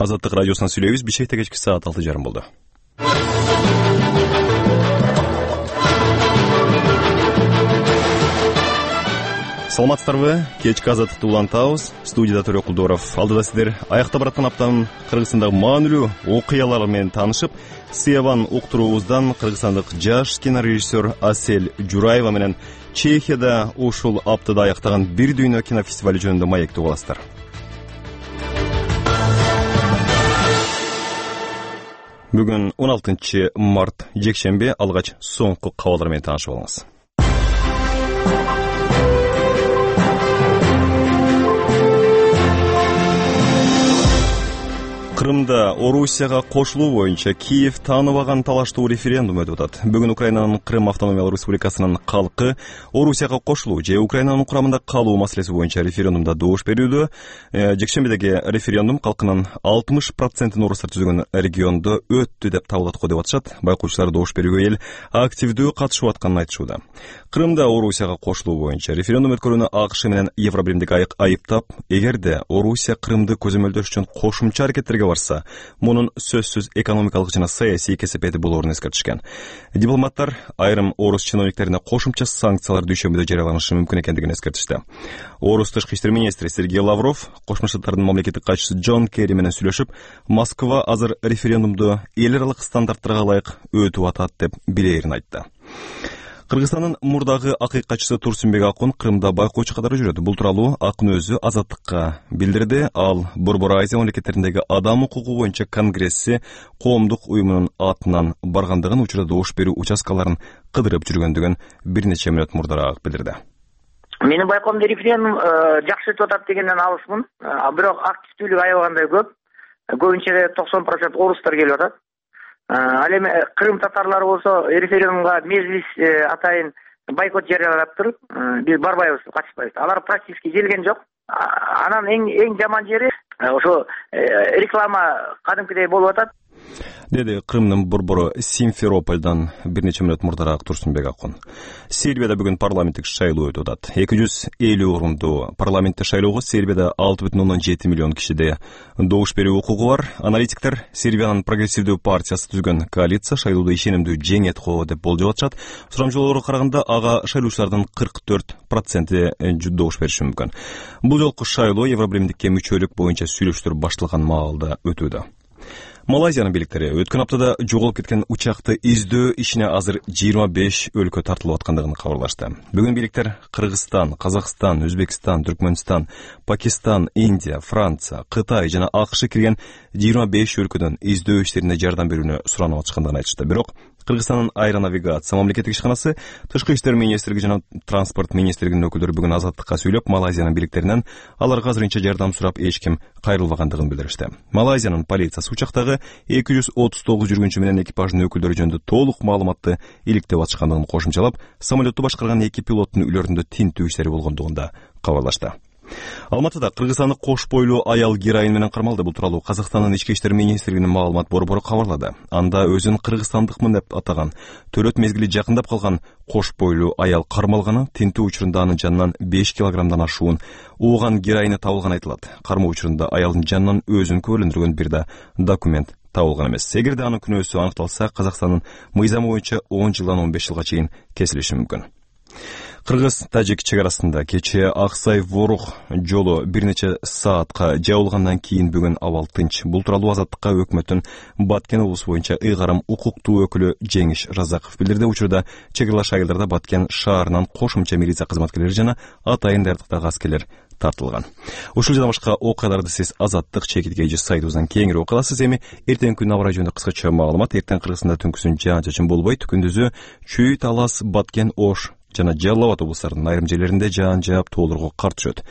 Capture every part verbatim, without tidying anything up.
Азаттык радиосунан сүйлөйбүз. Бишкекте кечки саат алты жарым болду. Саламатсыздарбы? Кечки азаттыкты улантабыз. Студияда Төрө Кулдоров. Алдыда сиздер аякта бараткан аптанын Кыргызстандагы маанилүү окуялары менен таанышып, Сиябан уктуруубуздан кыргызстандык жаш кинорежиссер Асель Жураева менен Чехияда ушул аптада аяктаган Бир дүйнө кинофестивали жөнүндө маектеп аласыздар. Бүгүн он алтынчы март жекшемби, алгач соңку кабарлар менен таанышып алыңыз. Крымда Орусияга кошулуу боюнча Киев тааныбаган талаштуу референдум өтүп атат. Бүгүн Украинанын Крым автономиялык республикасынын калкы Орусияга кошулуу же Украинанын курамында калуу маселеси боюнча референдумда добуш берүүдө. Жекшембидеги референдум калкынын алтымыш процентин орустар түзгөн региондо өттү деп табылат го деп атышат. Байкоочулар добуш берүүгө эл активдүү катышып атканын айтышууда. Крымда Орусияга кошулуу боюнча референдум өткөрүүнү АКШ менен Евробиримдик айыптап, эгерде Орусия Крымды көзөмөлдөш үчүн кошумча аракеттерге барса, мунун сөзсүз экономикалык жана саясий кесепети болоорун эскертишкен. Дипломаттар айрым орус чиновниктерине кошумча санкциялар дүйшөмбүдө жарыяланышы мүмкүн экендигин эскертишти. Орус тышкы иштер министри Сергей Лавров Кошмо Штаттардын мамлекеттик катчысы Джон Керри менен сүйлөшүп, Москва азыр референдумду эл аралык стандарттарга ылайык өтүп атат деп билээрин айтты. Кыргызстандын мурдагы акый катчысы Турсунбек Акун Крымда байкоочу катары жүрөт. Бул тууралуу Акун өзү Азаттыкка билдирди. Ал Борбор Азия мамлекеттериндеги адам укугу боюнча конгресси коомдук уюмунун атынан баргандыгын, учурда добуш берүү участкаларын кыдырып жүргөндүгүн бир нече мүнөт мурдараак билдирди. Менин байкоомдо референдум жакшы өтүп атат дегенден алысмын. Бирок активдүүлүк аябагандай көп. Көбүнчө токсон процент орустар келип атат. Ал эми Крым татарлары болсо референдумга мезгилис атайын бойкот жарыялаптыр. Биз барбайбыз, катышпайбыз. Алар практически келген жок. Анан эң эң жаман жери ошо реклама кадимкидей болуп атат. Деди Крымдын борбору Симферопольдон бир нече мүнөт мурдараак Турсунбек Акун. Сербияда бүгүн парламенттик шайлоо өтүп атат. эки жүз элүү орундуу парламенттик шайлоого Сербияда алты бүтүн ондон жети миллион кишиде добуш берүү укугу бар. Аналитиктер Сербиянын прогрессивдүү партиясы түзгөн коалиция шайлоодо ишенимдүү жеңет го деп болжоп атышат. Сурамжылоолорго караганда ага шайлоочулардын кырк төрт проценти добуш бериши мүмкүн. Бул жолку шайлоо Евробиримдикке мүчөлүк боюнча сүйлөшүүлөр башталган маалда өтүүдө. Малайзиянын бийликтери өткөн аптада жоголуп кеткен учакты издөө ишине азыр жыйырма беш өлкө тартылып аткандыгын кабарлашты. Бүгүн бийликтер Кыргызстан, Казакстан, Өзбекстан, Түркмөнстан, Пакистан, Индия, Франция, Кытай жана АКШ кирген жыйырма беш өлкөдөн издөө иштерине жардам берүүнү суранып атышкандыгын айтышты. Бирок Кыргызстандын аэронавигация мамлекеттик ишканасы, Тышкы иштер министрлиги жана транспорт министрлигинин өкүлдөрү бүгүн Азаттыкка сүйлөп, Малайзиянын бийликтеринен аларга азырынча жардам сурап эч ким кайрылбагандыгын билдиришти. Малайзиянын полициясы учактагы эки жүз отуз тогуз жүргүнчү менен экипаждын өкүлдөрү жөнүндө толук маалыматты иликтеп атышкандыгын кошумчалап, самолетту башкарган эки пилоттун үйлөрүндө тинтүү иштери болгондугун да кабарлашты. Алматыда кыргызстандык кош бойлуу аял героин менен кармалды. Бул тууралуу Казакстандын ички иштер министрлигинин маалымат борбору кабарлады. Анда өзүн кыргызстандыкмын деп атаган, төрөт мезгили жакындап калган кош бойлуу аял кармалганы, тинтүү учурунда анын жанынан беш килограммдан ашуун ууган героини табылганы айтылат. Кармоо учурунда аялдын жанынан өзүн күбөлөндүргөн бир да документ табылган эмес. Эгерде анын күнөөсү аныкталса, Казакстандын мыйзамы боюнча он жылдан он беш жылга чейин кесилиши мүмкүн. Кыргыз-тажик чек арасында кечээ Аксай-Ворух жолу бир нече саатка жабылгандан кийин бүгүн абал тынч. Бул тууралуу Азаттыкка өкмөттүн Баткен облусу боюнча ыйгарым укуктуу өкүлү Жеңиш Разаков билдирди. Учурда чек аралаш айылдарда Баткен шаарынан кошумча милиция кызматкерлери жана атайын даярдыктагы аскерлер тартылган. Ушул жана башка окуяларды сиз Азаттык чекитке же сайтыбыздан кеңири окуй аласыз. Эми эртең күн аба ырайы жөнүндө кыскача маалымат. Эртең Кыргызстанда түнкүсүн жаан-чачын болбойт. Күндүзү Чүй, Талас, Баткен, Ош жана Жалал Абад облустарынын айрым жерлеринде жаан жаап тоолорго кар түшөт.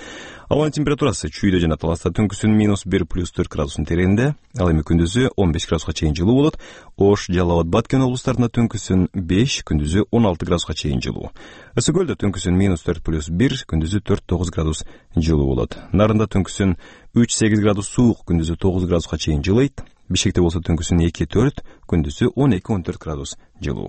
Абанын температурасы Чүйдө жана Таласта түнкүсүн минус бир плюс төрт градустун тереңинде, ал эми күндүзү он беш градуска чейин жылуу болот. Ош, Жалал Абад, Баткен облустарында түнкүсүн беш, күндүзү он алты градуска чейин жылуу. Ысык көлдө түнкүсүн минус төрт плюс бир, күндүзү төрт тогуз градус жылуу болот. Нарында түнкүсүн үч сегиз градус суук, күндүзү тогуз градуска чейин жылыйт. Бишкекте болсо түнкүсүн эки төрт, күндүзү он эки он төрт градус жылуу.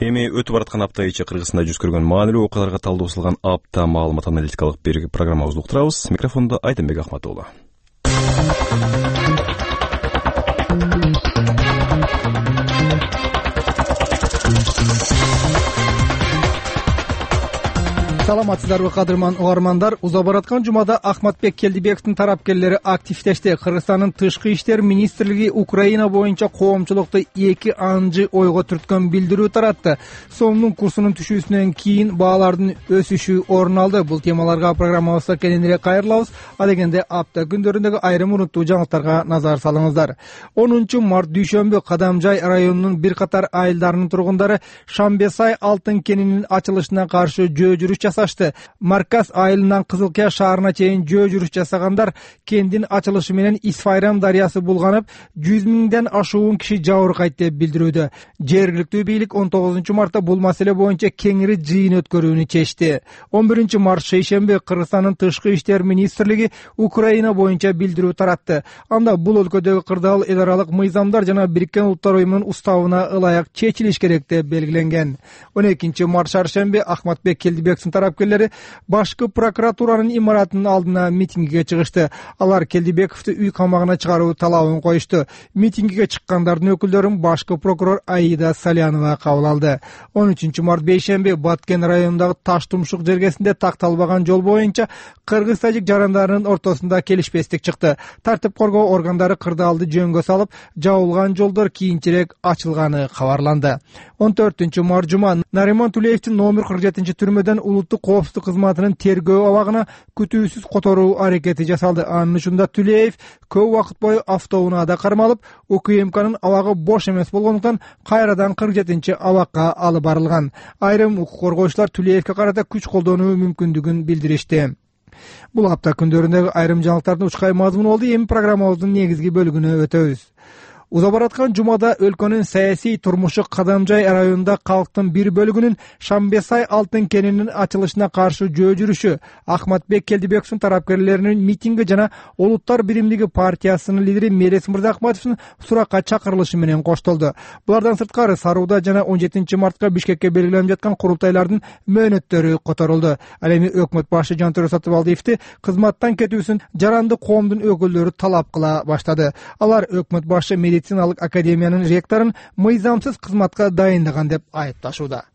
Эми өтүп бараткан апта ичи Кыргызстанда жүз көргөн маанилүү окуяларга талдоо жасалган апта маалымат аналитикалык бир программабызды уктурабыз. Микрофондо Айденбек Ахматуулу. Саламатсыздарбы кадырман угармандар. Уза бараткан жумада Ахматбек Келдибековдун тарапкерлери активдешти. Кыргызстандын тышкы иштер министрлиги Украина боюнча коомчулукту эки анжы ойго түрткөн билдирүү таратты. Сомдун курсунун түшүүсүнөн кийин баалардын өсүшү орун алды. Бул темаларга программабызда кененирээк кайрылабыз. А дегенде апта күндөрүндөгү айрым урунттуу жаңылыктарга назар салыңыздар. онунчу март дүйшөмбү Кадамжай районунун бир катар айылдарынын тургундары Шамбесай алтын кенинин ачылышына каршы жөө жүрүш жасашты. Марказ айылынан Кызылкия шаарына чейин жөө жүрүш жасагандар кендин ачылышы менен Исфайрам дарыясы булганып, жүз миңден ашуун киши жабыркайт деп билдирүүдө. Жергиликтүү бийлик он тогузунчу мартта бул маселе боюнча кеңири жыйын өткөрүүнү чечти. он биринчи март шейшемби Кыргызстандын тышкы иштер министрлиги Украина боюнча билдирүү таратты. Анда бул өлкөдөгү кырдаал эл аралык мыйзамдар жана Бириккен Улуттар уюмунун уставына ылайык чечилиш керек деп белгиленген. он экинчи март шаршемби Ахматбек Келдибековдун тарапкерлери башкы прокуратуранын имаратынын алдына митингиге чыгышты. Алар Келдибековду үй камагына чыгаруу талабын коюшту. Митингиге чыккандардын өкүлдөрүн башкы прокурор Аида Салянова кабыл алды. он үчүнчү март бейшемби Баткен районундагы Таш Тумшук жергесинде такталбаган жол боюнча кыргыз-тажик жарандарынын ортосунда келишпестик чыкты. Тартип коргоо органдары кырдаалды жөнгө салып, жабылган жолдор кийинчерээк ачылганы кабарланды. он төртүнчү март жума Нариман Тулеевдин номер кырк жетинчи түрмөдөн улуттук коопсуздук кызматынын тергөө абагына күтүүсүз которуу аракети жасалды. Анын учурунда Тулеев көп убакыт бою автоунаада кармалып, УКМКнын абагы бош эмес болгондуктан кайрадан кырк жетинчи абакка алып барылган. Айрым укук коргоочулар Тулеевке карата күч колдонуу мүмкүндүгүн билдиришти. Бул апта күндөрүндөгү айрым жаңылыктардын учкай мазмуну болду. Эми программабыздын негизги бөлүгүнө өтөбүз. Уза бараткан жумада өлкөнүн саясий турмушу Кадамжай районунда калктын бир бөлүгүнүн Шамбесай алтын кенинин ачылышына каршы жөө жүрүшү, Ахматбек Келдибековдун тарапкерлеринин митинги жана Улуттар биримдиги партиясынын лидери Мелис Мырзахматовдун суракка чакырылышы менен коштолду. Булардан сырткары Сарууда жана он жетинчи мартка Бишкекке белгиленип жаткан курултайлардын мөөнөттөрү которулду. Ал эми өкмөт башы Жантөрө Сатыбалдиевди кызматтан кетүүсүн жаранды коомдун өкүлдөрү талап кыла баштады. Алар өкмөт башы медициналык академиянын ректорун мыйзамсыз кызматка дайындаган деп айыпташууда.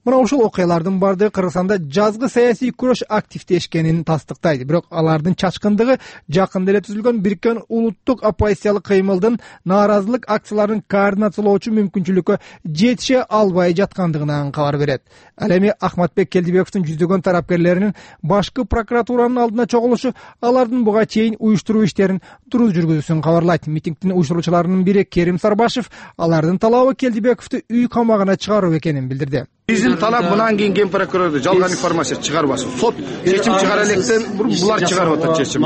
Мына ушул окуялардын бардыгы Кыргызстанда жазгы саясий күрөш активдешкенин тастыктайт. Бирок алардын чачкындыгы жакында эле түзүлгөн Бириккен улуттук оппозициялык кыймылдын нааразылык акцияларын координациялоочу мүмкүнчүлүккө жетише албай жаткандыгынан кабар берет. Ал эми Ахматбек Келдибековдун жүздөгөн тарапкерлеринин башкы прокуратуранын алдына чогулушу алардын буга чейин уюштуруу иштерин дурус жүргүзүүсүн кабарлайт. Митингдин уюштуруучуларынын бири Керим Сарбашев алардын талабы Келдибековду үй камагына чыгаруу экенин билдирди. Биздин талап мындан кийин ген прокурор жалган информация чыгарбасын. Сот чечим чыгара электен булар чыгарып атат чечим.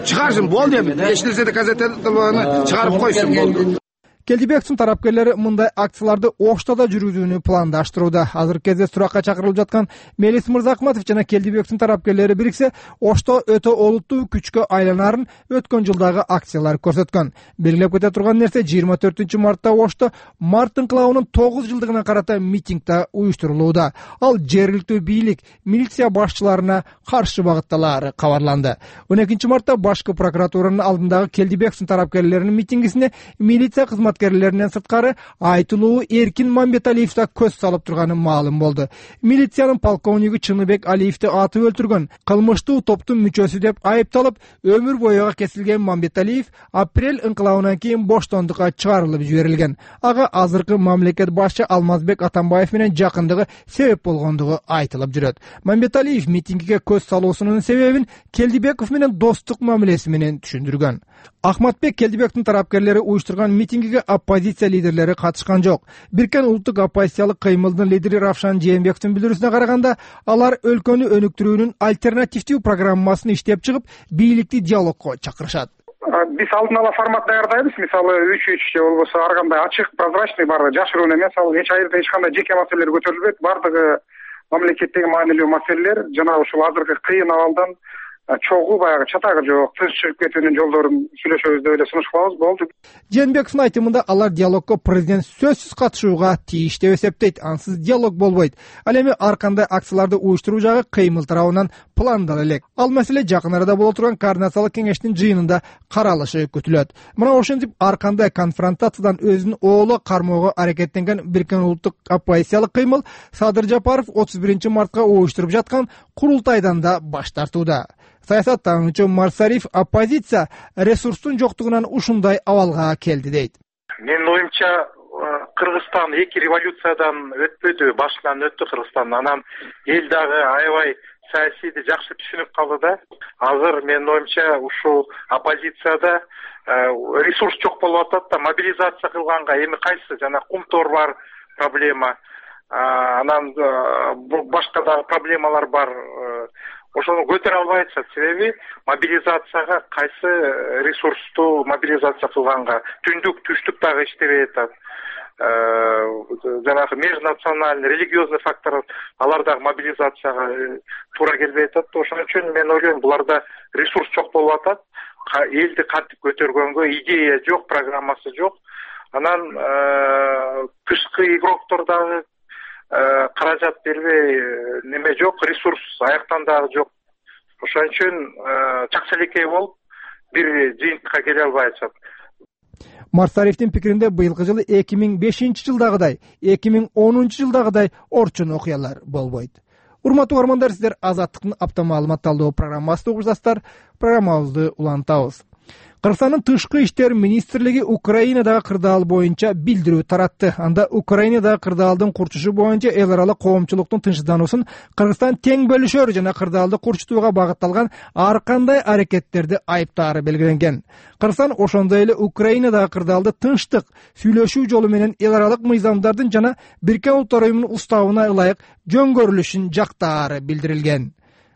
Чыгарсын болду эми. Эч нерсе доказательствоны чыгарып койсун болду. Келдибековдун тарапкерлери мындай акцияларды Ошто да жүргүзүүнү пландаштырууда. Азыркы кезде суракка чакырылып жаткан Мелис Мырзахматов жана Келдибековдун тарапкерлери бириксе, Ошто өтө олуттуу күчкө айланарын өткөн жылдагы акциялар көрсөткөн. Белгилеп кете турган нерсе жыйырма төртүнчү мартта Ошто март инкылабынын тогуз жылдыгына карата митингде уюштурулууда. Ал жергиликтүү бийлик, милиция башчыларына каршы багытталары кабарланды. он экинчи мартта башкы прокуратуранын алдындагы Келдибековдун тарапкерлеринин митингисине милиция кызмат кызматкерлеринен сырткары айтылуу Эркин Мамбеталиев да көз салып турганы маалым болду. Милициянын полковниги Чыныбек Алиевди атып өлтүргөн кылмыштуу топтун мүчөсү деп айыпталып, өмүр боюга кесилген Мамбеталиев апрель инкылабынан кийин боштондукка чыгарылып жиберилген. Ага азыркы мамлекет башчы Алмазбек Атамбаев менен жакындыгы себеп болгондугу айтылып жүрөт. Мамбеталиев митингиге көз салуусунун себебин Келдибеков менен достук мамилеси менен түшүндүргөн. Ахматбек Келдибековдун тарапкерлери уюштурган митингиге оппозиция лидерлери катышкан жок. Бириккен улуттук оппозициялык кыймылдын лидери Равшан Жээнбековдун билдирүүсүнө караганда, алар өлкөнү өнүктүрүүнүн альтернативдүү программасын иштеп чыгып, бийликти диалогко чакырышат. Биз алдын ала формат даярдайбыз. Мисалы үч үч же болбосо ар кандай ачык, прозрачный, бардыгы жашыруун эмес. Ал эч айырда эч кандай жеке маселелер көтөрүлбөйт. Бардыгы мамлекеттеги маанилүү маселелер жана ушул азыркы кыйын абалдан чогуу баягы чатагы жок, тынч чыгып кетүүнүн жолдорун сүйлөшөбүз деп эле сунуш кылабыз, болду. Жээнбековдун айтымында алар диалогко президент сөзсүз катышууга тийиш деп эсептейт. Ансыз диалог болбойт. Ал эми ар кандай акцияларды уюштуруу жагы кыймыл тарабынан пландала элек. Ал маселе жакын арада боло турган координациялык кеңештин жыйынында каралышы күтүлөт. Мына ошентип ар кандай конфронтациядан өзүн ооло кармоого аракеттенген Бириккен Улуттук оппозициялык кыймыл Садыр Жапаров отуз биринчи мартка уюштуруп жаткан курултайдан да баш тартууда. Саясаттануучу Марсариф оппозиция ресурстун жоктугунан ушундай абалга келди дейт. Менин оюмча, Кыргызстан эки революциядан өтпөдү, башынан өттү Кыргызстан. Анан эл дагы аябай саясийди жакшы түшүнүп калды да. Азыр менин оюмча ушул оппозицияда ресурс жок болуп атат да, мобилизация кылганга эми кайсы жана кумтор бар проблема, анан башка дагы проблемалар бар. Ошону көтөрө албай атышат. Себеби мобилизацияга кайсы ресурсту мобилизация кылганга түндүк түштүк дагы иштебей атат. Жанагы межнациональный, религиозный фактор алар дагы мобилизацияга туура келбей атат. Ошон үчүн мен ойлойм, буларда ресурс жок болуп атат. Элди кантип көтөргөнгө идея жок, программасы жок. Анан тышкы игроктор дагы каражат бербей, неме жок, ресурс аяктан дагы жок. Ошон үчүн чакчалекей болуп бир жыйынтыкка келе албай атышат. Марсарифтин пикиринде быйылкы жылы эки миң бешинчи жылдагыдай, эки миң онунчу жылдагыдай орчун окуялар болбойт. Урматтуу угармандар, сиздер Азаттыктын апта маалымат талдоо программасында угуп жатасыздар. Программабызды улантабыз. Кыргызстандын тышкы иштер министрлиги Украинадагы кырдаал боюнча билдирүү таратты. Анда Украинадагы кырдаалдын курчушу боюнча эл аралык коомчулуктун тынчсыздануусун Кыргызстан тең бөлүшөр жана кырдаалды курчутууга багытталган ар кандай аракеттерди айыптаары белгиленген. Кыргызстан ошондой эле Украинадагы кырдаалды тынчтык, сүйлөшүү жолу менен эл аралык мыйзамдардын жана Бириккен Улуттар уюмунун уставына ылайык жөнгөрүлүшүн жактаары билдирилген.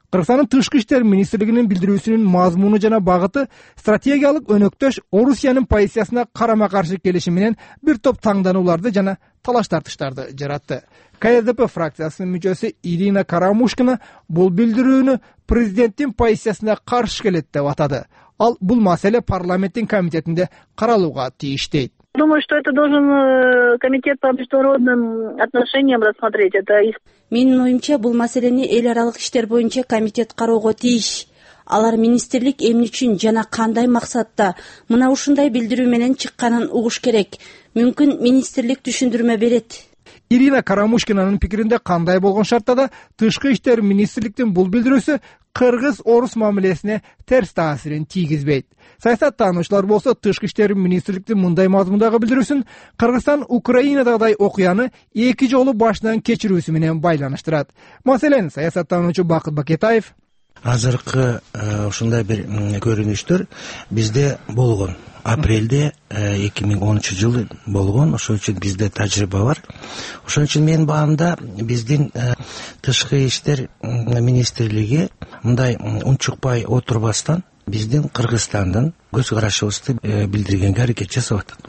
Кыргызстандын тышкы иштер министрлигинин билдирүүсүнүн мазмуну жана багыты стратегиялык өнөктөш Орусиянын позициясына карама-каршы келиши менен бир топ таңданууларды жана талаш тартыштарды жаратты. ка эр дэ пэ фракциясынын мүчөсү Ирина Карамушкина бул билдирүүнү президенттин позициясына каршы келет деп атады. Ал бул маселе парламенттин комитетинде каралууга тийиш дейт. Думаю, что это должен комитет по международным отношениям рассмотреть. Это Менин оюмча, бул маселени эл аралык иштер боюнча комитет кароого тийиш. Алар министрлик эмне үчүн жана кандай максатта мына ушундай билдирүү менен чыкканын угуш керек. Мүмкүн министрлик түшүндүрмө берет. Ирина Карамушкинанын пикиринде кандай болгон шартта да тышкы иштер министрликтин бул билдирүүсү кыргыз-орус мамилесине терс таасирин тийгизбейт. Саясаттануучулар болсо тышкы иштер министрликтин мындай мазмундагы билдирүүсүн Кыргызстан Украинадагыдай окуяны эки жолу башынан кечирүүсү менен байланыштырат. Маселен, саясаттануучу Бакыт Бакетаев азыркы ушундай бир көрүнүштөр бизде болгон. Апрелде эки миң онунчу жылы болгон. Ошон үчүн бизде тажрыйба бар. Ошон үчүн менин баамда биздин тышкы иштер министрлиги мындай унчукпай отурбастан биздин Кыргызстандын көз карашыбызды билдиргенге аракет жасап атат.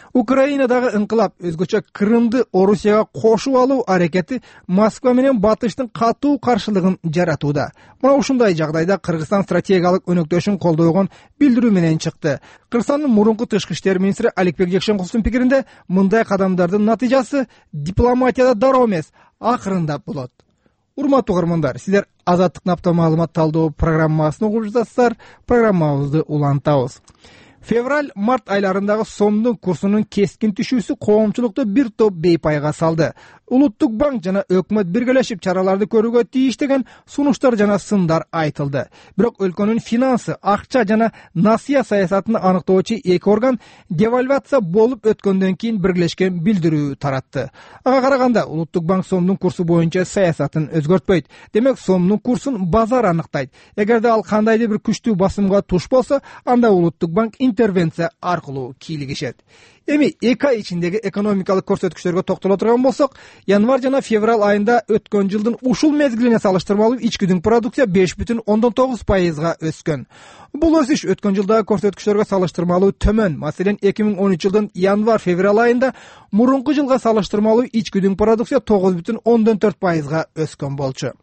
Украинадагы ыңкылап, өзгөчө Крымды Орусияга кошуп алуу аракети Москва менен Батыштын катуу каршылыгын жаратууда. Мына ушундай жагдайда Кыргызстан стратегиялык өнөктөшүн колдойгон билдирүү менен чыкты. Кыргызстандын мурунку тышкы иштер министри Аликбек Жекшенкуловдун пикиринде, мындай кадамдардын натыйжасы дипломатияда дароо эмес, акырындап болот. Урматтуу угармандар, сиздер Азаттыктын апта маалымат талдоо программасын угуп жатасыздар. Программабызды улантабыз. Февраль-март айларындагы сомдун курсунун кескин түшүүсү коомчулукту бир топ бейпайга салды. Улуттук банк жана өкмөт биргелешип чараларды көрүүгө тийиш деген сунуштар жана сындар айтылды. Бирок өлкөнүн финансы, акча жана насыя саясатын аныктоочу эки орган девальвация болуп өткөндөн кийин биргелешкен билдирүү таратты. Ага караганда Улуттук банк сомдун курсу боюнча саясатын өзгөртпөйт. Демек, сомдун курсун базар аныктайт. Эгерде ал кандайдыр бир күчтүү басымга туш болсо, анда Улуттук банк интервенция аркылуу кийлигишет. Эми эки ай ичиндеги экономикалык көрсөткүчтөргө токтоло турган болсок, январь жана февраль айында өткөн жылдын ушул мезгилине салыштырмалуу ичкүдүн продукция беш бүтүн ондон тогуз пайызга өскөн. Бул өсүш өткөн жылдагы көрсөткүчтөргө салыштырмалуу төмөн. Маселен, эки миң он үч жылдын январь-февраль айында мурунку жылга салыштырмалуу ичкүдүн продукция тогуз бүтүн ондон төрт пайызга өскөн болчу.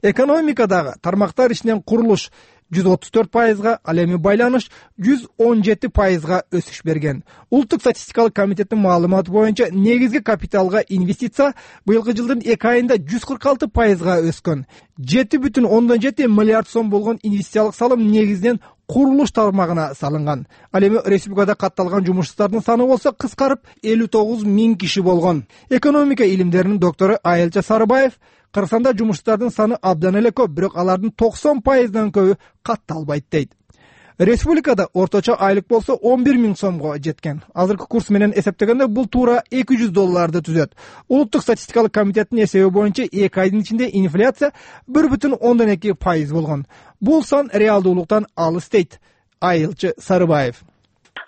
Экономикадагы тармактар ичинен курулуш, жүз отуз төрт пайызга, ал эми байланыш жүз он жети пайызга өсүш берген. Улуттук статистикалык комитеттин маалыматы боюнча негизги капиталга инвестиция быйылкы жылдын эки айында жүз кырк алты пайызга өскөн. жети бүтүн ондон жети миллиард сом болгон инвестициялык салым негизинен курулуш тармагына салынган. Ал эми республикада катталган жумушчулардын саны болсо кыскарып элүү тогуз миң киши болгон. Экономика илимдеринин доктору Айылча Сарыбаев Кыргызстанда жумушчулардын саны абдан эле көп, бирок алардын токсон пайыздан көбү катталбайт дейт. Республикада орточо айлык болсо он бир миң сомго жеткен. Азыркы курс менен эсептегенде бул туура эки жүз долларды түзөт. Улуттук статистикалык комитеттин эсеби боюнча эки айдын ичинде инфляция бир бүтүн ондон эки пайыз болгон. Бул сан реалдуулуктан алыс дейт Айылчы Сарыбаев.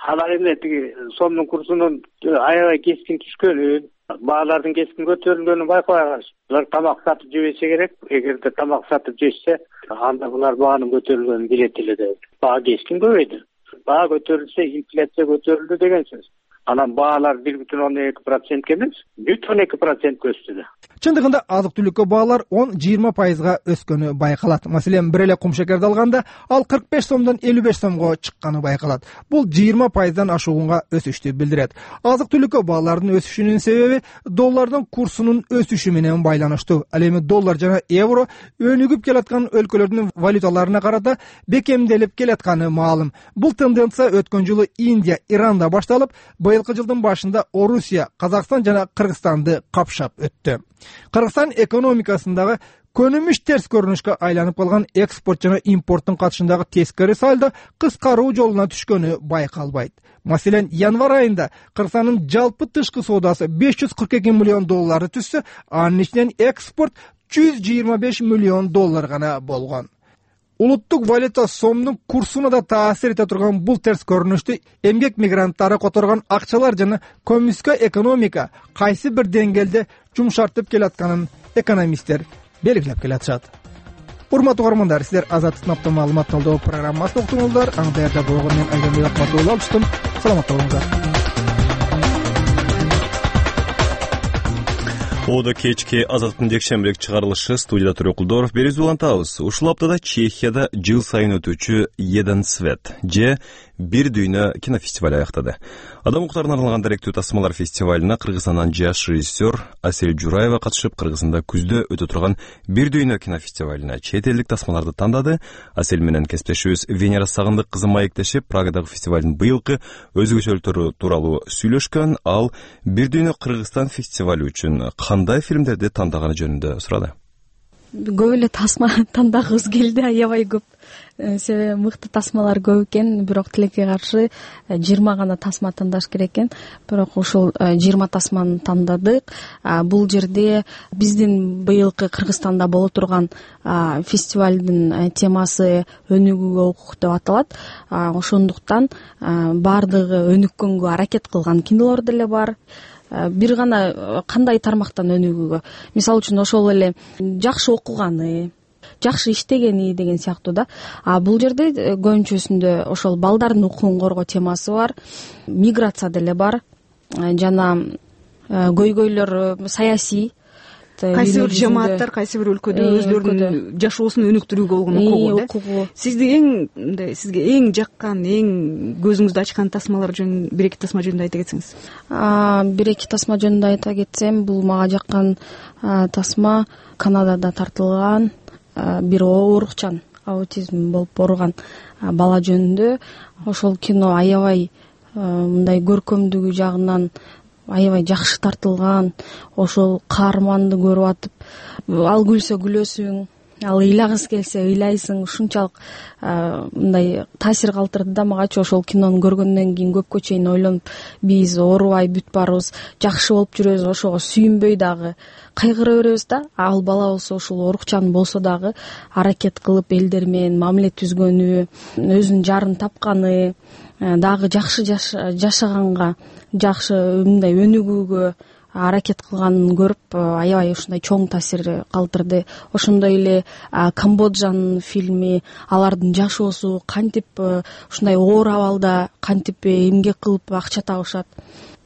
Алар эмне тиги сомдун курсунун аябай кескин түшкөнүн, баалардын кескин көтөрүлгөнүн байкабай калышты. Булар тамак сатып жебесе керек. Эгерде тамак сатып жешсе, анда булар баанын көтөрүлгөнүн билет эле деп. Баа кескин көбөйдү. Баа көтөрүлсө, инфляция көтөрүлдү деген сөз. Анан баалар бир бүтүн ондон эки процентке эмес, бүтүн эки процентке өстү да. Чындыгында азык-түлүккө баалар он жыйырма пайызга өскөнү байкалат. Маселен, бир эле кум шекерди алганда ал кырк беш сомдон элүү беш сомго чыкканы байкалат. Бул жыйырма пайыздан ашуунга өсүштү билдирет. Азык-түлүккө баалардын өсүшүнүн себеби доллардын курсунун өсүшү менен байланыштуу. Ал эми доллар жана евро өнүгүп келаткан өлкөлөрдүн валюталарына карата бекемделип келатканы маалым. Бул тенденция өткөн жылы Индия, Иранда башталып, быйылкы жылдын башында Орусия, Казакстан жана Кыргызстанды капшап өттү. Кыргызстан экономикасындагы көнүмүш терс көрүнүшкө айланып калган экспорт жана импорттун катышындагы тескери сальдо кыскаруу жолуна түшкөнү байкалбайт. Маселен, январь айында Кыргызстандын жалпы тышкы соодасы беш жүз кырк эки миллион долларды түзсө, анын ичинен экспорт жүз жыйырма беш миллион доллар гана болгон. Улуттук валюта сомдун курсуна да таасир эте турган бул терс көрүнүштү эмгек мигранттары которгон акчалар жана көмүскө экономика кайсы бир деңгээлде жумшартып келатканын экономисттер белгилеп келатышат. Урматтуу угармандар, сиздер Азаттыктын апта маалымат талдоо программасын уктуңуздар. Аны даярдап койгон мен Айдембек Акматов алыштым. Саламатта болуңуздар. Ода кечки Азаттыктын жекшембирек чыгарылышы студияда Төрө Кулдоров бериз улантабыз. Ушул аптада Чехияда жыл сайын өтүүчү Еден свет же бир дүйнө кинофестивали аяктады. Адам укуктарына арналган даректүү тасмалар фестивалына Кыргызстандан жаш режиссер Асель Жураева катышып, Кыргызстанда күздө өтө турган бир дүйнө кинофестивалына чет элдик тасмаларды тандады. Асель менен кесиптешибиз Венера Сагындык кызы маектешип, Прагадагы фестивалдын быйылкы өзгөчөлүктөрү тууралуу сүйлөшкөн. Ал бир дүйнө Кыргызстан фестивали үчүн кандай фильмдерди тандаганы жөнүндө сурады. Көп эле тасма тандагыбыз келди, аябай көп. Себеби мыкты тасмалар көп экен, бирок тилекке каршы жыйырма гана тасма тандаш керек экен. Бирок ушул жыйырма тасманы тандадык. Бул жерде биздин быйылкы Кыргызстанда боло турган фестивалдын темасы өнүгүүгө укук деп аталат. Ошондуктан баардыгы өнүккөнгө аракет кылган кинолор деле бар. Бир гана кандай тармактан өнүгүүгө, мисалы үчүн ошол эле жакшы окуганы, жакшы иштегени деген сыяктуу да. А бул жерде көбүнчөсүндө ошол балдардын укугун коргоо темасы бар, миграция деле бар, жана көйгөйлөр саясий. Кайсы бир жамааттар, кайсы бир өлкөдө өзлөрүнүн жашоосун өнүктүрүүгө болгон укугу да. Сизди эң сизге эң жаккан, эң көзүңүздү ачкан тасмалар жөнүндө бир эки тасма жөнүндө айта кетсеңиз. Бир эки тасма жөнүндө айта кетсем, бул мага жаккан тасма Канадада тартылган бир оорукчан, аутизм болуп ооруган бала жөнүндө. Ошол кино аябай мындай көркөмдүгү жагынан аябай жакшы тартылган. Ошол каарманды көрүп атып, ал күлсө күлөсүң, ал ыйлагысы келсе ыйлайсың. Ушунчалык мындай таасир калтырды да магачы. Ошол кинону көргөндөн кийин көпкө чейин ойлонуп, биз оорубай бүт барыбыз жакшы болуп жүрөбүз, ошого сүйүнбөй дагы кайгыра беребиз да. Ал бала болсо ушул оорукчан болсо дагы аракет кылып элдер менен мамиле түзгөнү, өзүнүн жарын тапканы, дагы жакшы жашаганга, жакшы мындай өнүгүүгө аракет кылганын көрүп аябай ушундай чоң таасир калтырды. Ошондой эле Камбоджанын фильми, алардын жашоосу кантип ушундай оор абалда кантип эмгек кылып акча табышат.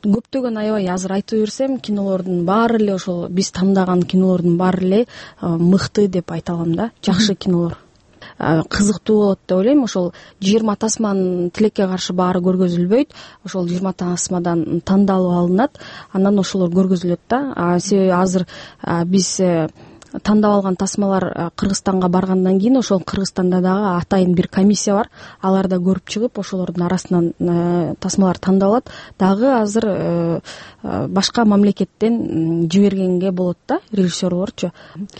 Көптөгөн аябай азыр айтып берсем, кинолордун баары эле ошол биз тандаган кинолордун баары эле мыкты деп айта алам да, жакшы кинолор. кызыктуу болот деп ойлойм. Ошол жыйырма тасманын тилекке каршы баары көргөзүлбөйт. Ошол жыйырма тасмадан тандалып алынат, анан ошолор көргөзүлөт да. Себеби азыр биз тандап алган тасмалар Кыргызстанга баргандан кийин ошол Кыргызстанда дагы атайын бир комиссия бар. Алар да көрүп чыгып ошолордун арасынан тасмалар тандалат. Дагы азыр башка мамлекеттен жибергенге болот да режиссерлорчу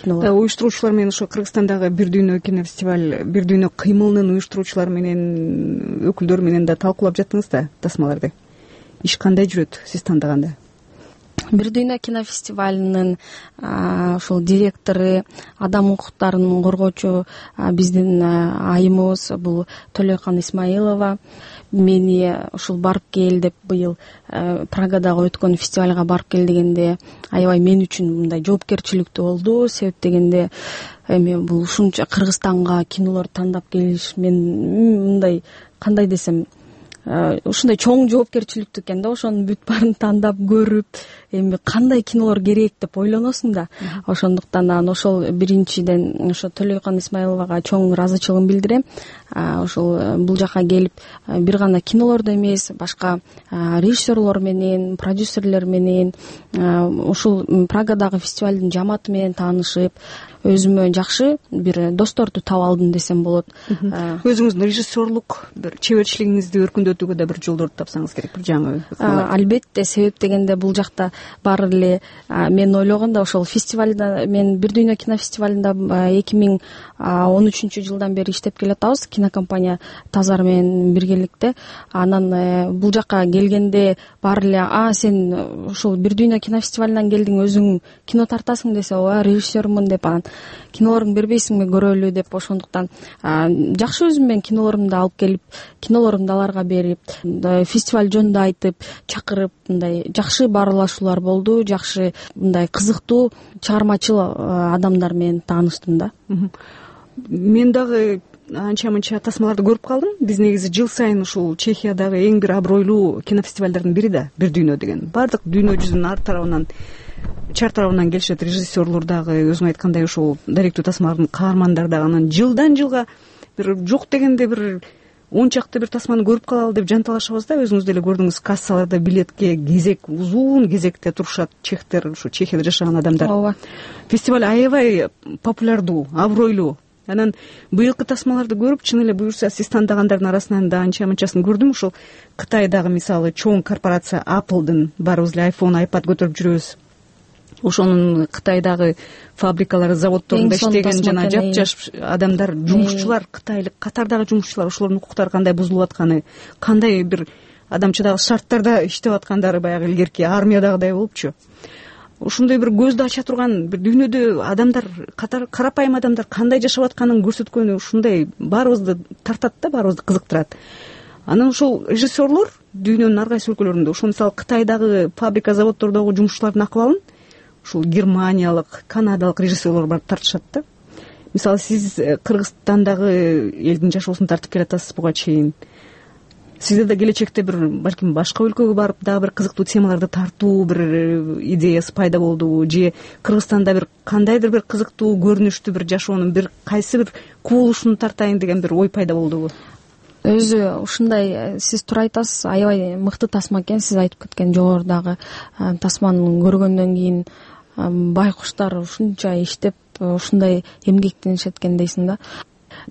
кинолор. Уюштуруучулар менен ошо Кыргызстандагы Бир дүйнө кинофестиваль, Бир дүйнө кыймылынын уюштуруучулары менен, өкүлдөрү менен да талкуулап жаттыңыз да тасмаларды. Иш кандай жүрөт сиз тандаганда? Бир дүйнө кинофестивалынын ошол директору, адам укуктарын коргоочу биздин айымыбыз бул Төлөйкан Исмаилова мени ушул барып кел деп быйыл Прагадагы өткөн фестивалга барып кел дегенде аябай мен үчүн мындай жоопкерчиликтүү болду. Себеп дегенде эми бул ушунча Кыргызстанга кинолор тандап келиш, мен мындай кандай десем ушундай чоң жоопкерчиликтүү экен да. Ошонун бүт баарын тандап көрүп, эми кандай кинолор керек деп ойлоносуң да. Ошондуктан анан ошол биринчиден ошо Төлөйкан Исмаиловага чоң ыраазычылыгымды билдирем. Ошол бул жака келип бир гана кинолорду эмес, башка режиссерлор менен, продюсерлер менен, ушул Прагадагы фестивалдын жамааты менен таанышып, өзүмө жакшы бир досторду таап алдым десем болот. Өзүңүздүн режиссерлук бир чеберчилигиңизди өркүндөтүүгө да бир жолдорду тапсаңыз керек, бир жаңы. Албетте, себеп дегенде бул жакта баары эле мен ойлогондо ошол фестивалда, мен Бир дүйнө кинофестивалында эки миң он үчүнчү жылдан бери иштеп келатабыз, кинокомпания Тазар менен биргеликте. Анан бул жака келгенде баары эле а сен ушул Бир дүйнө кинофестивалынан келдиң, өзүң кино тартасың десе, ооба режиссермун деп, анан кинолоруңду бербейсиңби көрөлү деп, ошондуктан жакшы өзүм менен кинолорумду алып келип, кинолорумду аларга берип, фестиваль жөнүндө айтып, чакырып, мындай жакшы баарлашуулар болду, жакшы мындай кызыктуу чыгармачыл адамдар менен тааныштым да. Мен дагы анча мынча тасмаларды көрүп калдым. Биз негизи жыл сайын ушул Чехиядагы эң бир абройлуу кинофестивалдардын бири да Бир дүйнө деген. Бардык дүйнө жүзүнүн ар тарабынан, чар тарабынан келишет режиссерлор дагы, өзүң айткандай ошол даректүү тасмалардын каармандары дагы. Анан жылдан жылга бир жок дегенде бир он чакты бир тасманы көрүп калалы деп жанталашабыз да. Өзүңүз деле көрдүңүз, кассаларда билетке кезек, узун кезекте турушат чехтер, ушу Чехияда жашаган адамдар. Ооба. Фестиваль аябай популярдуу, абройлуу. Анан быйылкы тасмаларды көрүп, чын эле буюрса сиз тандагандардын арасынан да анча мынчасын көрдүм. Ушул Кытайдагы мисалы чоң корпорация Apple'дын, баарыбыз эле iPhone, iPad көтөрүп жүрөбүз. Ошонун Кытайдагы фабрикалары, заводдорунда иштеген жана жап-жаш адамдар, жумушчулар, кытайлык катардагы жумушчулар, ошолордун укуктары кандай бузулуп атканы, кандай бир адамчадагы шарттарда иштеп аткандары баягы илгерки армиядагыдай болупчу. Ушундай бир көздү ача турган, бир дүйнөдө адамдар, карапайым адамдар кандай жашап атканын көрсөткөнү ушундай баарыбызды тартат да, баарыбызды кызыктырат. Анан ошол режиссерлор дүйнөнүн ар кайсы өлкөлөрүндө, ошол мисалы Кытайдагы фабрика, заводдордогу жумушчулардын акыбалын ушул германиялык, канадалык режиссерлор барып тартышат да. Мисалы сиз Кыргызстандагы элдин жашоосун тартып келатасыз буга чейин. Сизде да келечекте бир балким башка өлкөгө барып дагы бир кызыктуу темаларды тартуу бир идеясы пайда болдубу, же Кыргызстанда бир кандайдыр бир кызыктуу көрүнүштүү бир жашоонун бир кайсы бир кубулушун тартайын деген бир ой пайда болдубу? Өзү ушундай, сиз туура айтасыз, аябай мыкты тасма экен. Сиз айтып кеткен жогорудагы тасманы көргөндөн кийин байкуштар ушунча иштеп, ушундай эмгектенишет экен дейсиң да.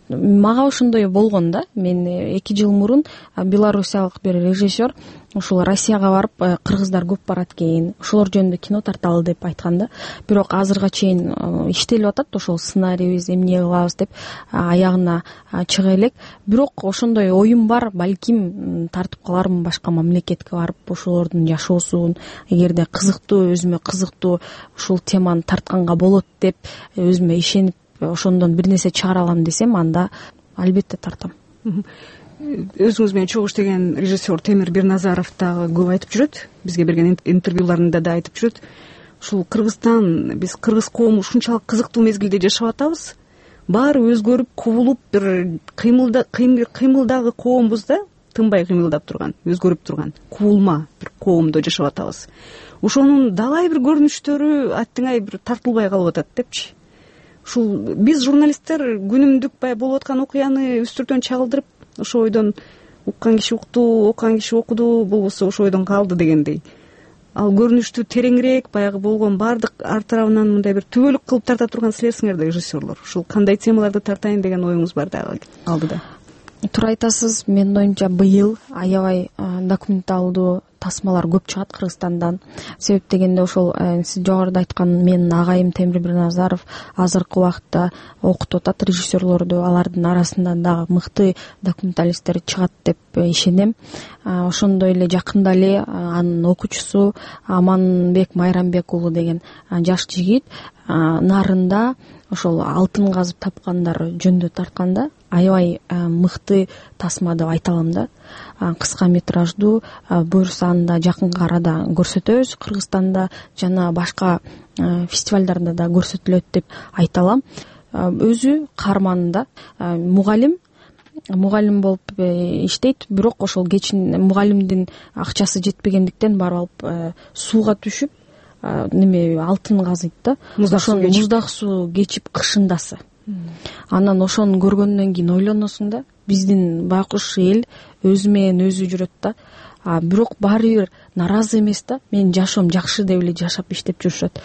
Мага ошондой болгон да. Мен эки жыл мурун белоруссиялык бир режиссер ушул Россияга барып, кыргыздар көп барат экен, ошолор жөнүндө кино тарталы деп айткан да. Бирок азырга чейин иштелип атат, ошол сценарийбиз эмне кылабыз деп аягына чыга элек. Бирок ошондой оюм бар, балким тартып калармын башка мамлекетке барып, ошолордун жашоосун, эгерде кызыктуу, өзүмө кызыктуу ушул теманы тартканга болот деп өзүмө ишенип, ошондон бир нерсе чыгара алам десем, анда албетте тартам. Өзүңүз менен чогуу иштеген режиссер Темир Бирназаров дагы көп айтып жүрөт, бизге берген интервьюларында да айтып жүрөт. Ушул Кыргызстан, биз кыргыз коому ушунчалык кызыктуу мезгилде жашап атабыз. Баары өзгөрүп, кубулуп, бир кыймылда кыймылдагы коомбуз да, тынбай кыймылдап турган, өзгөрүп турган, кубулма бир коомдо жашап атабыз. Ошонун далай бир көрүнүштөрү аттыңай бир тартылбай калып атат депчи. ушул биз журналисттер күнүмдүк баягы болуп аткан окуяны үстүртөн чагылдырып ошо ойдон уккан киши укту, окуган киши окуду, болбосо ошо ойдон калды дегендей. Ал көрүнүштү тереңирээк баягы болгон баардык ар тарабынан мындай бир түбөлүк кылып тарта турган силерсиңер да режиссерлор. Ушул кандай темаларды тартайын деген оюңуз бар дагы алдыда? Туура айтасыз. Менин оюмча быйыл аябай документалдуу тасмалар көп чыгат Кыргызстандан. Себеп дегенде ошол сиз жогоруда айткан менин агайым Темир Бирназаров азыркы убакытта окутуп атат режиссерлорду. Алардын арасында дагы мыкты документалисттер чыгат деп ишенем. Ошондой эле жакында эле анын окуучусу Аманбек Майрамбек уулу деген жаш жигит нарында ошол алтын казып тапкандар жөнүндө тартканда аябай мыкты тасма деп айта алам да. Кыска метраждуу, буюрса аны да жакынкы арада көрсөтөбүз Кыргызстанда жана башка фестивалдарда да көрсөтүлөт деп айта алам. Өзү каарманында мугалим мугалим болуп иштейт, бирок ошол кечин мугалимдин акчасы жетпегендиктен барып алып сууга түшүп неме алтын казыйт да. Муздак суу кечип кышындасы. Анан ошону көргөндөн кийин ойлоносуң да, биздин байкуш эл өзү менен өзү жүрөт да. Бирок баары бир нааразы эмес да. Менин жашоом жакшы деп эле жашап иштеп жүрүшөт.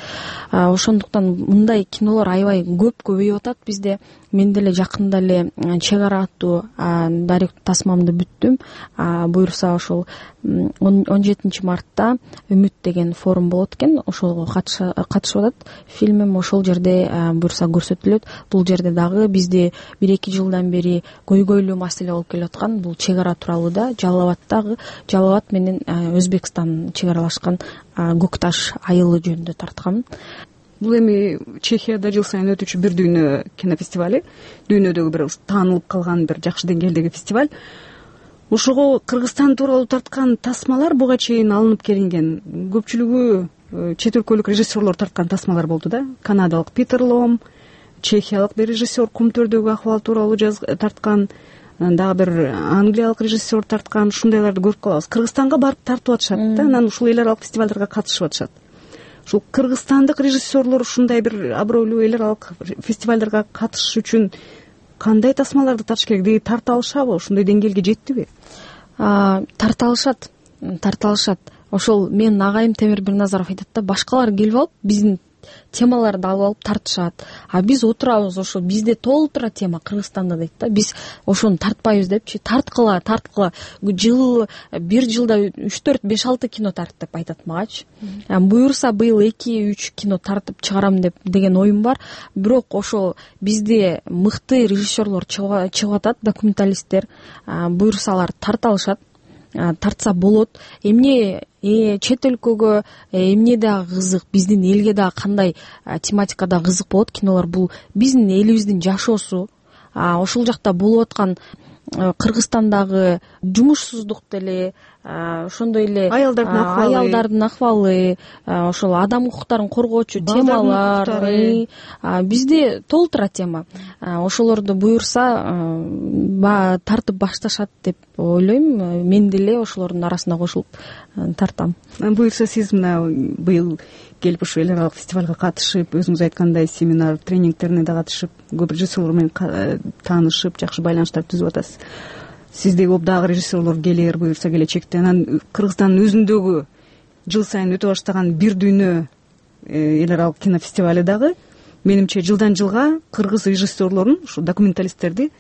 Ошондуктан мындай кинолор аябай көп көбөйүп атат бизде. Мен деле жакында эле Чек ара аттуу дарек тасмамды бүттүм. Буюрса ошол он жетинчи мартта Үмүт деген форум болот экен. Ошого катышып атат. Фильмим ошол жерде буюрса көрсөтүлөт. Бул жерде дагы бизде бир эки жылдан бери көйгөйлүү маселе болуп келаткан бул чек ара тууралуу да. Жалал-Абадтагы Жалал-Абад менен Өзбекстан чек аралашкан Көк таш айылы жөнүндө тарткам. Бул эми Чехияда жыл сайын өтүүчү бир дүйнө кинофестивали, дүйнөдөгү бир таанылып калган бир жакшы деңгээлдеги фестиваль. Ошого Кыргызстан тууралуу тарткан тасмалар буга чейин алынып келинген. Көпчүлүгү чет өлкөлүк режиссерлор тарткан тасмалар болду да. Канадалык Питер Лом, чехиялык бир режиссер кум төрдөгү акыбал тууралуу тарткан, дагы бир англиялык режиссер тарткан, ушундайларды көрүп калабыз. Кыргызстанга барып тартып атышат да, анан ушул эл аралык фестивалдарга катышып атышат. Ушул кыргызстандык режиссерлор ушундай бир абройлуу эл аралык фестивалдарга катышыш үчүн кандай тасмаларды тартыш керек? Деги тарта алышабы? Ушундай деңгээлге жеттиби? Тарта алышат, тарта алышат. Ошол менин агайым Темир Бирназаров айтат да, башкалар келип алып биздин темаларды алып алып тартышат. А биз отурабыз, ошо бизде толтура тема Кыргызстанда дейт да. Биз ошону тартпайбыз депчи. Тарткыла, тарткыла. Жыл бир жылда үч төрт беш алты кино тарт деп айтат магачы. Буюрса быйыл эки үч кино тартып чыгарам деп деген оюм бар. Бирок ошол бизде мыкты режиссерлор чыгып атат, документалисттер. Буюрса алар тарта алышат. Тартса болот. Эмне чет өлкөгө эмне дагы кызык, биздин элге дагы кандай тематикада кызык болот кинолор, бул биздин элибиздин жашоосу. Ошол жакта болуп аткан Кыргызстандагы жумушсуздук деле, ошондой эле аялдардын акыбалы, аялдардын акыбалы, ошол адам укуктарын коргоочу темалар бизде толтура тема. Ошолорду буюрса тартып башташат деп ойлойм. Мен деле ошолордун арасына кошулуп тартам. Буюрса сиз мына быйыл келип ушу эл аралык фестивалга катышып, өзүңүз айткандай семинар, тренингтерине да катышып, көп режиссерлор менен таанышып, жакшы байланыштарды түзүп атасыз. Сиздеги обдагы режиссерлор келер, буюрса келечекте. Анан Кыргызстандын өзүндөгү жыл сайын өтө баштаган бир дүйнө эл аралык кинофестивали дагы менимче жылдан жылга кыргыз режиссерлорун, ушу документалисттерди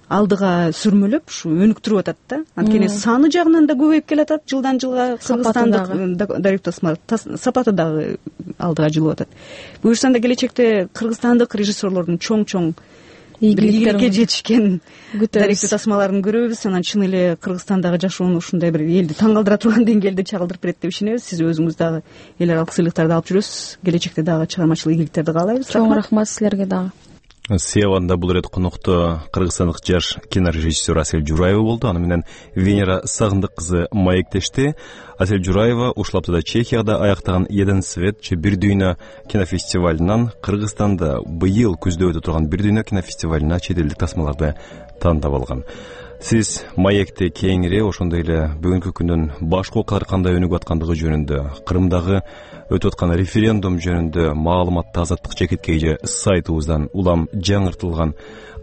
алдыга сүрмөлөп, ушу өнүктүрүп атат да. Анткени саны жагынан да көбөйүп келатат жылдан жылга. Кыргызстандык дарек тасма сапаты дагы алдыга жылып атат. Буюрса да келечекте кыргызстандык режиссерлордун чоң-чоң ийгиликке жетишкен даректүү тасмаларын көрөбүз. Анан чын эле Кыргызстандагы жашоону ушундай бир элди таң калтыра турган деңгээлде чагылдырып берет деп ишенебиз. Сиз өзүңүз дагы эл аралык сыйлыктарды алып жүрөсүз. Келечекте дагы чыгармачылык ийгиликтерди каалайбыз. Чоң рахмат силерге дагы. Сиябанда бул ирет конокту кыргызстандык жаш кинорежиссер Асель Жураева болду. Аны менен Венера Сагындык кызы маектешти. Асель Жураева ушул аптада Чехияда аяктаган Еден свет же бир дүйнө кинофестивалынан Кыргызстанда быйыл күздө өтө турган бир дүйнө кинофестивалына чет элдик тасмаларды тандап алган. Сиз маекте кеңири ошондой эле бүгүнкү күндүн башка окуялар кандай өнүгүп аткандыгы жөнүндө, Кырымдагы өтүп аткан референдум жөнүндө маалыматты азаттык чекиткей сайтыбыздан улам жаңыртылган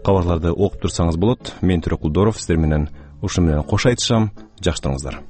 кабарларды окуп турсаңыз болот. Мен Төрөкул Дооров сиздер менен ушуну менен кош айтышам. Жакшы туруңуздар.